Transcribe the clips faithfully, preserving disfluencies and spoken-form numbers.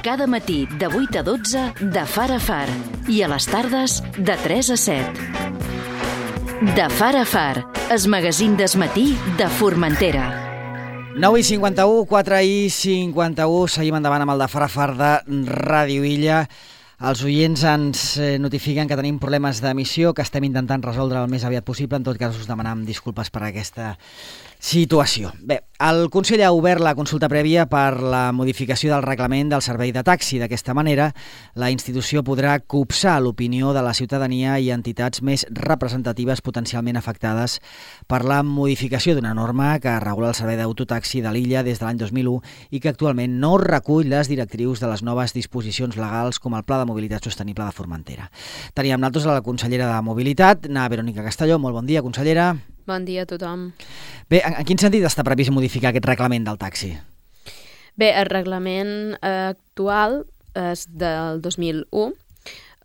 Cada matí de vuit a dotze de Far a Far i a les tardes de tres a set. De Far a Far, el magazín del matí de Formentera. nou i cinquanta-u, quatre i cinquanta-u, seguim endavant amb el de Far a Far de Ràdio Illa. Els oients ens notifiquen que tenim problemes d'emissió, que estem intentant resoldre el més aviat possible. En tot cas, us demanam disculpes per aquesta situació. Bé, el Consell ha obert la consulta prèvia per la modificació del reglament del servei de taxi. D'aquesta manera, la institució podrà copsar l'opinió de la ciutadania i entitats més representatives potencialment afectades per la modificació d'una norma que regula el servei d'autotaxi de l'illa des de l'any dos mil u i que actualment no recull les directrius de les noves disposicions legals com el Pla de Mobilitat Sostenible de Formentera. Teníem nosaltres a la consellera de Mobilitat, na Verònica Castelló. Molt bon dia, consellera. Bon dia a tothom. Bé, en, en quin sentit està previst modificar aquest reglament del taxi? Bé, el reglament eh, actual és del dos mil u.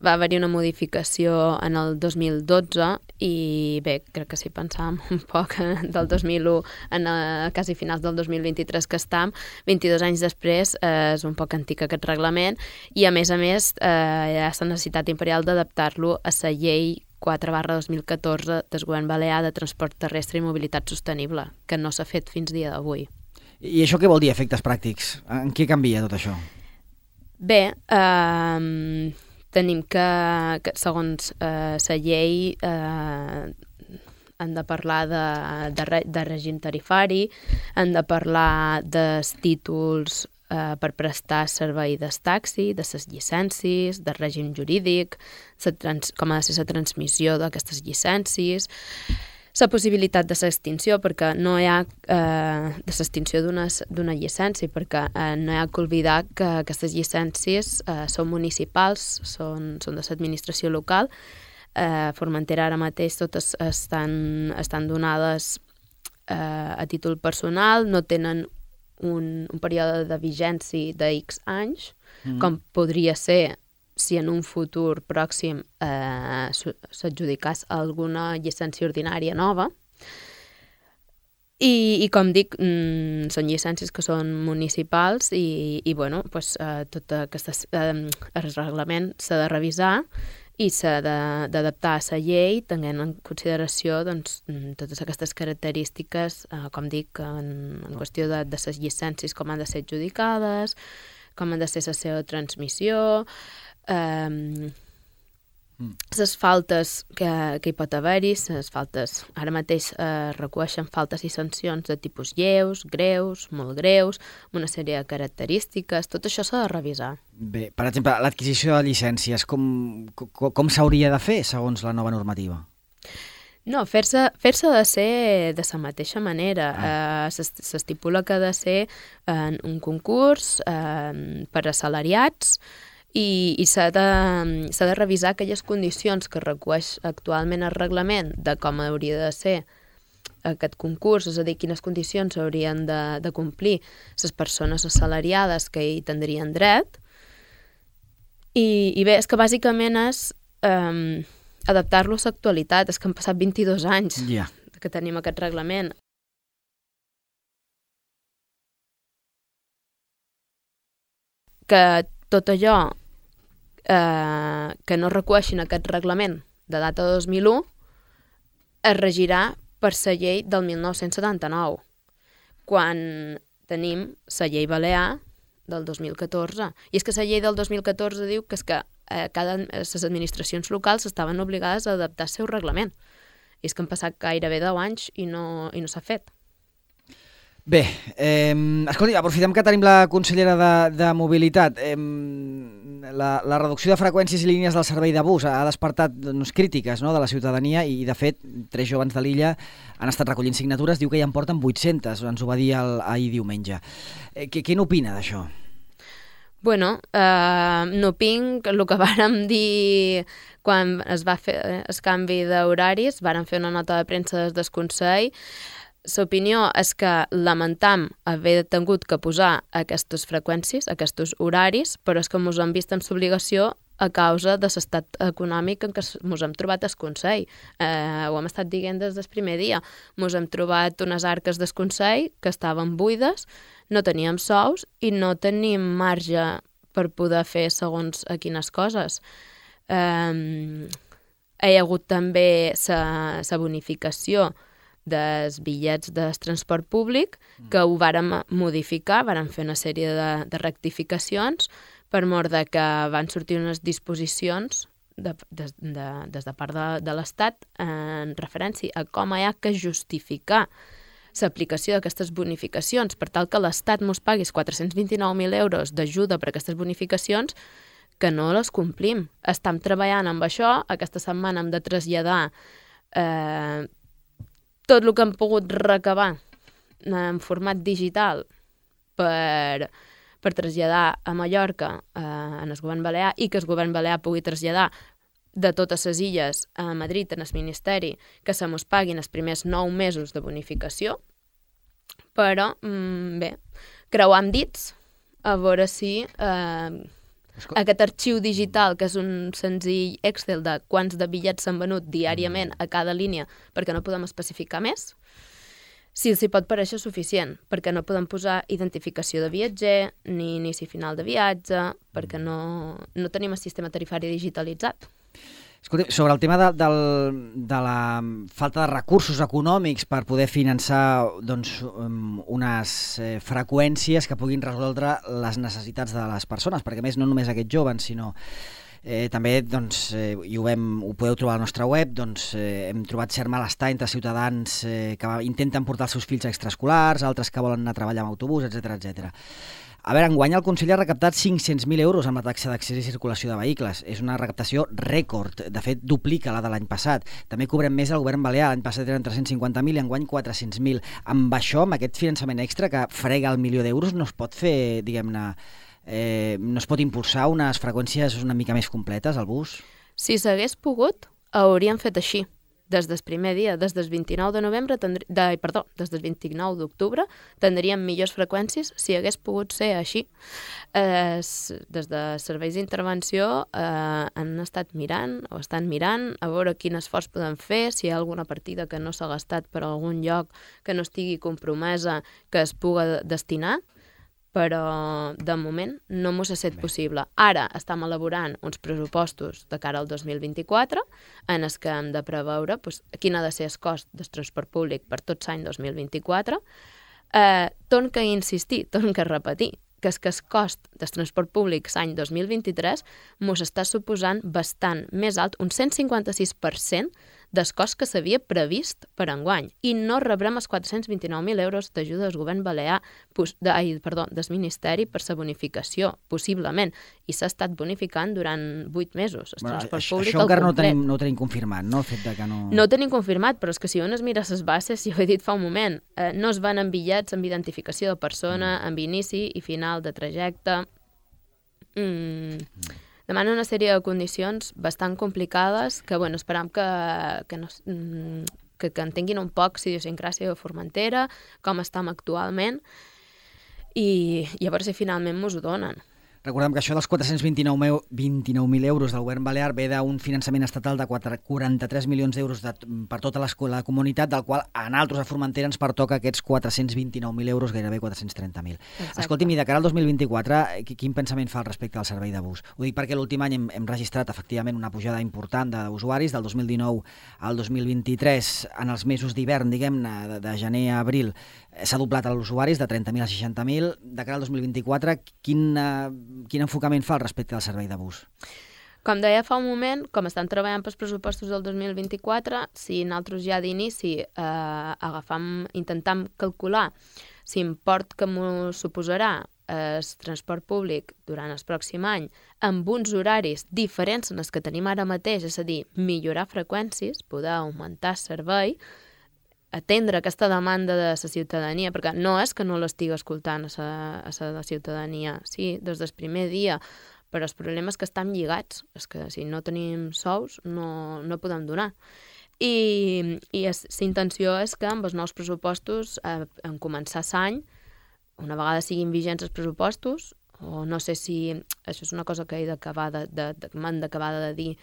Va haver-hi una modificació en el dos mil dotze i bé, crec que si pensàvem un poc del dos mil u en a, quasi finals del dos mil vint-i-tres que estam, vint-i-dos anys després eh, és un poc antic aquest reglament i a més a més eh, hi ha la necessitat imperial d'adaptar-lo a la llei quatre barra dos mil catorze del Govern Balear de Transport Terrestre i Mobilitat Sostenible, que no s'ha fet fins dia d'avui. I això què vol dir, efectes pràctics? En què canvia tot això? Bé, eh, tenim que, que segons eh, la llei, eh, hem de parlar de, de, de règim tarifari, hem de parlar dels títols eh, per prestar servei del taxi, de les llicències, del règim jurídic, trans, com ha de ser la transmissió d'aquestes llicències, la possibilitat de l'extinció, perquè no hi ha eh, de l'extinció d'una llicència, perquè eh, no hi ha que oblidar que aquestes llicències eh, són municipals, són, són de l'administració local. Eh, Formentera ara mateix totes estan, estan donades eh, a títol personal, no tenen un, un període de vigència de X anys, mm. com podria ser si en un futur pròxim eh, s'adjudicàs alguna llicència ordinària nova. I, i com dic, mm, són llicències que són municipals i, i bueno, pues, eh, tot aquest eh, reglament s'ha de revisar i s'ha d'adaptar a la llei, tenint en consideració doncs, totes aquestes característiques, eh, com dic, en, en qüestió de, de les llicències, com han de ser adjudicades, com han de ser la seva transmissió, Um, mm. les faltes que, que hi pot haver-hi, les faltes ara mateix eh, recueixen faltes i sancions de tipus lleus, greus, molt greus, una sèrie de característiques, tot això s'ha de revisar. Bé, per exemple, l'adquisició de llicències, com, com, com s'hauria de fer segons la nova normativa? No, fer-se fer-se ha de ser de la mateixa manera. Ah. Eh, s'estipula que ha de ser en un concurs eh, per assalariats i, i s'ha de, s'ha de revisar aquelles condicions que recueix actualment el reglament de com hauria de ser aquest concurs, és a dir, quines condicions haurien de, de complir les persones assalariades que hi tindrien dret. I, i bé, és que bàsicament és eh, adaptar-lo a l'actualitat. És que han passat vint-i-dos anys yeah. que tenim aquest reglament. Que tot allò eh, que no recueixin aquest reglament de data de dos mil u es regirà per la llei del mil nou-cents setanta-nou, quan tenim la llei balear del dos mil catorze. I és que la llei del dos mil catorze diu que, és que eh, cada, les administracions locals estaven obligades a adaptar el seu reglament. I és que han passat gairebé deu anys i no, i no s'ha fet. Bé, eh, escolti, aprofitem que tenim la consellera de, de Mobilitat. Eh, la, la reducció de freqüències i línies del servei de bus ha despertat doncs, crítiques, no?, de la ciutadania i, de fet, tres joves de l'illa han estat recollint signatures, diu que ja en porten vuit-centes, ens ho va dir el, ahir diumenge. Eh, què, què n'opina d'això? Bueno, eh, n'opinc el que vàrem dir quan es va fer el canvi d'horaris, vàrem fer una nota de premsa des del Consell. L'opinió és que lamentam haver tingut que posar aquestes freqüències, aquests horaris, però és que ens hem vist amb l'obligació a causa de l'estat econòmic en què ens hem trobat al Consell. Eh, ho hem estat dient des del primer dia. Ens hem trobat unes arques del Consell que estaven buides, no teníem sous i no tenim marge per poder fer segons a quines coses. Um, hi ha hagut també la bonificació dels bitllets del transport públic, que ho vàrem modificar, vàrem fer una sèrie de, de rectificacions, per mort de que van sortir unes disposicions de, de, de, des de part de, de l'Estat en referència a com hi ha que justificar l'aplicació d'aquestes bonificacions per tal que l'Estat mos paguis quatre-cents vint-i-nou mil euros d'ajuda per aquestes bonificacions, que no les complim. Estem treballant amb això. Aquesta setmana hem de traslladar eh, tot el que hem pogut recabar en format digital per, per traslladar a Mallorca eh, en el govern balear, i que el govern balear pugui traslladar de totes les illes a Madrid en el Ministeri, que se mos paguin els primers nou mesos de bonificació. Però, mm, bé, creuam dits a veure si eh, aquest arxiu digital, que és un senzill Excel de quants de bitllets s'han venut diàriament a cada línia, perquè no podem especificar més, si els hi pot pareixer suficient, perquè no podem posar identificació de viatger ni inici final de viatge, perquè no, no tenim el sistema tarifari digitalitzat. Escolta, sobre el tema de, del, de la falta de recursos econòmics per poder finançar doncs, unes eh, freqüències que puguin resoldre les necessitats de les persones, perquè a més no només aquests joves, sinó eh, també, doncs, eh, i ho, vam, ho podeu trobar a la nostra web, doncs, eh, hem trobat cert malestar entre ciutadans eh, que intenten portar els seus fills a extraescolars, altres que volen anar a treballar amb autobús, etcètera, etcètera. A veure, enguany el Consell ha recaptat cinc-cents mil euros amb la taxa d'accés i circulació de vehicles. És una recaptació rècord, de fet duplica la de l'any passat. També cobrem més al govern balear, l'any passat eren tres-cents cinquanta mil i enguany quatre-cents mil. Amb això, amb aquest finançament extra que frega el milió d'euros, no es pot fer, diguem-ne, eh, no es pot impulsar unes freqüències una mica més completes al bus? Si s'hagués pogut, hauríem fet així. Des del primer dia, des del vint-i-nou de novembre, tendri... de, perdó, des del vint-i-nou d'octubre, tindríem millors freqüències si hagués pogut ser així. Eh, des de serveis d'intervenció eh, han estat mirant, o estan mirant, a veure quin esforç podem fer, si hi ha alguna partida que no s'ha gastat per algun lloc que no estigui compromesa, que es puga destinar, però de moment no mos ha estat possible. Ara estem elaborant uns pressupostos de cara al dos mil vint-i-quatre en els que hem de preveure doncs, quin ha de ser el cost del transport públic per tot l'any dos mil vint-i-quatre. Eh, torn que insistir, torn que repetir, que és que el cost del transport públic l'any dos mil vint-i-tres mos està suposant bastant més alt, un cent cinquanta-sis per cent del cost que s'havia previst per enguany, i no rebrem els quatre-cents vint-i-nou mil euros d'ajuda del govern balear, de, ai, perdó, del Ministeri per la bonificació, possiblement, i s'ha estat bonificant durant vuit mesos. El bueno, transport això, públic això encara al no complet. tenim, no tenim confirmat, no? El fet de que no... No ho tenim confirmat, però és que si un es mira les bases, ja ho he dit fa un moment, eh, no es van en bitllets amb identificació de persona, mm. amb inici i final de trajecte. Mm. Mm. Demana una sèrie de condicions bastant complicades que, bueno, esperam que, que, no, que, que entenguin un poc la idiosincràsia de Formentera, com estem actualment, i, i a veure si finalment mos ho donen. Recordem que això dels quatre-cents vint-i-nou mil euros del govern balear ve d'un finançament estatal de quaranta-tres milions d'euros de, per tota la comunitat, del qual a nosaltres a Formentera ens pertoca aquests quatre-cents vint-i-nou mil euros, gairebé quatre-cents trenta mil. Escolti'm, i de cara al dos mil vint-i-quatre, quin pensament fa al respecte al servei de bus? Ho dic perquè l'últim any hem, hem registrat efectivament una pujada important d'usuaris, del dos mil dinou al dos mil vint-i-tres, en els mesos d'hivern, diguem-ne, de, de gener a abril, s'ha doblat els usuaris de trenta mil a seixanta mil. De cara al dos mil vint-i-quatre, quin... Quin enfocament fa al respecte del servei de bus? Com deia fa un moment, com estan treballant pels pressupostos del dos mil vint-i-quatre, si nosaltres ja d'inici eh, agafam, intentam calcular l'import que m'ho suposarà el transport públic durant el pròxim any amb uns horaris diferents en els que tenim ara mateix, és a dir, millorar freqüències, poder augmentar el servei, atendre aquesta demanda de la ciutadania, perquè no és que no l'estigui escoltant a la, a la ciutadania, sí, des del primer dia, però el problema és que estem lligats, és que si no tenim sous no, no podem donar. I, i la intenció és que amb els nous pressupostos, eh, en començar l'any, una vegada siguin vigents els pressupostos, o no sé si, això és una cosa que he d'acabar de, de, de, m'han d'acabar de dir,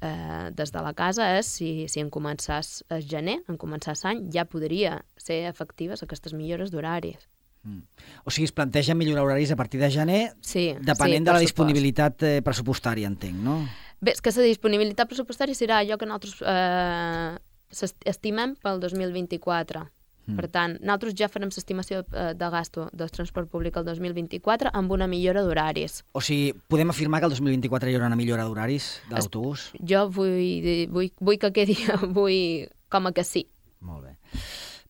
Eh, des de la casa, és si, si en començàs el gener, en començàs l'any, ja podria ser efectives aquestes millores d'horaris. Mm. O sigui, es plantegen millorar horaris a partir de gener, sí, depenent sí, de la supost. disponibilitat eh, pressupostària, entenc, no? Bé, és que la disponibilitat pressupostària serà allò que nosaltres eh, estimem pel dos mil vint-i-quatre. Mm. Per tant, nosaltres ja farem l'estimació de gasto del transport públic el dos mil vint-i-quatre amb una millora d'horaris. O sigui, podem afirmar que el dos mil vint-i-quatre hi haurà una millora d'horaris de l'autobús? Jo vull, vull, vull que quedi vull com a que sí. Molt bé.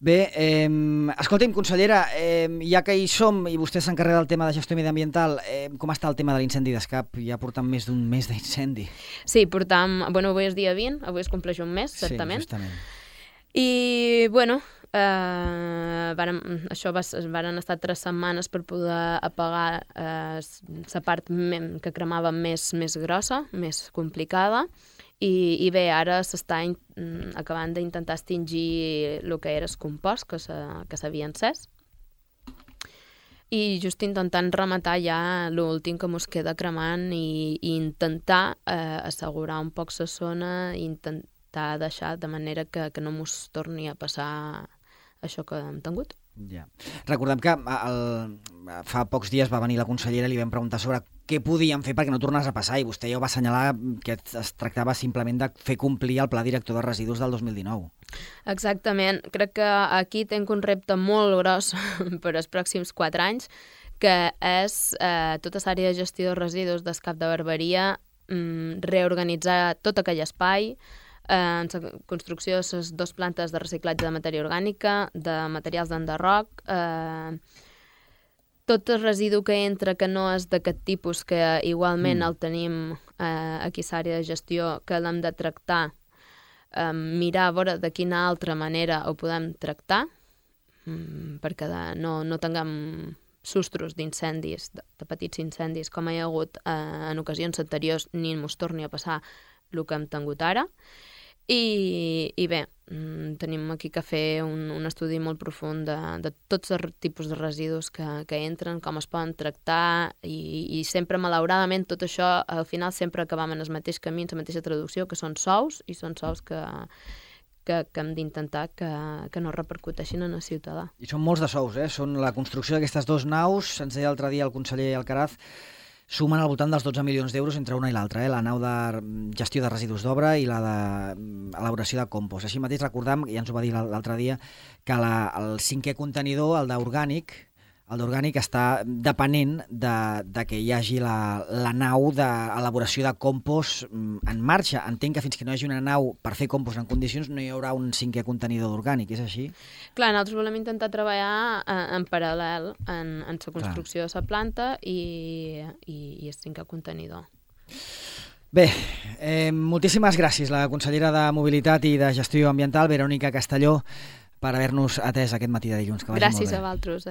Bé, eh, escolti'm, consellera, eh, ja que hi som i vostè s'encarrega del tema de gestió mediambiental, eh, com està el tema de l'incendi d'Escap? Ja portem més d'un mes d'incendi. Sí, portam... Bueno, avui és dia vint, avui es compleix un mes, certament. Sí, justament. I, bueno, eh, varen, això va, varen estar tres setmanes per poder apagar la eh, part que cremava més, més grossa, més complicada, i, i bé, ara s'està acabant d'intentar extingir el que era el compost que s'havia encès, i just intentant rematar ja l'últim que mos queda cremant i, i intentar eh, assegurar un poc la zona i intentar deixar de manera que, que no mos torni a passar això que hem tingut. Ja. Recordem que el, fa pocs dies va venir la consellera i li vam preguntar sobre què podíem fer perquè no tornés a passar, i vostè ja ho va assenyalar que es tractava simplement de fer complir el Pla Director de Residus del dos mil dinou. Exactament. Crec que aquí tenc un repte molt gros per als pròxims quatre anys, que és eh, tota l'àrea de gestió de residus d'Escap de Barberia, mm, reorganitzar tot aquell espai, eh, en la construcció de les dues plantes de reciclatge de matèria orgànica, de materials d'enderroc, eh, tot el residu que entra que no és d'aquest tipus, que igualment mm. el tenim eh, aquí a l'àrea de gestió, que l'hem de tractar, eh, mirar a veure de quina altra manera ho podem tractar, mm, perquè de, no, no tinguem sustros d'incendis, de, de petits incendis, com hi ha hagut eh, en ocasions anteriors, ni ens torni a passar el que hem tingut ara. I, i bé, tenim aquí que fer un, un estudi molt profund de, de tots els tipus de residus que, que entren, com es poden tractar, i, i sempre, malauradament, tot això, al final sempre acabam en el mateix camí, en la mateixa traducció, que són sous, i són sous que, que, que hem d'intentar que, que no repercuteixin en el ciutadà. I són molts de sous, eh? Són la construcció d'aquestes dues naus, ens deia l'altre dia el conseller Alcaraz, sumen al voltant dels dotze milions d'euros entre una i l'altra, eh? La nau de gestió de residus d'obra i la d'elaboració de compost. Així mateix recordam, ja ens ho va dir l'altre dia, que la, el cinquè contenidor, el d'orgànic, el d'orgànic està depenent de, de que hi hagi la, la nau d'elaboració de compost en marxa. Entenc que fins que no hi hagi una nau per fer compost en condicions no hi haurà un cinquè contenidor d'orgànic, és així? Clar, nosaltres volem intentar treballar en, en paral·lel en, en la construcció Clar. de la planta i, i, i el cinquè contenidor. Bé, eh, moltíssimes gràcies la consellera de Mobilitat i de Gestió Ambiental, Verònica Castelló, per haver-nos atès aquest matí de dilluns. Que vagi gràcies molt bé. a vosaltres.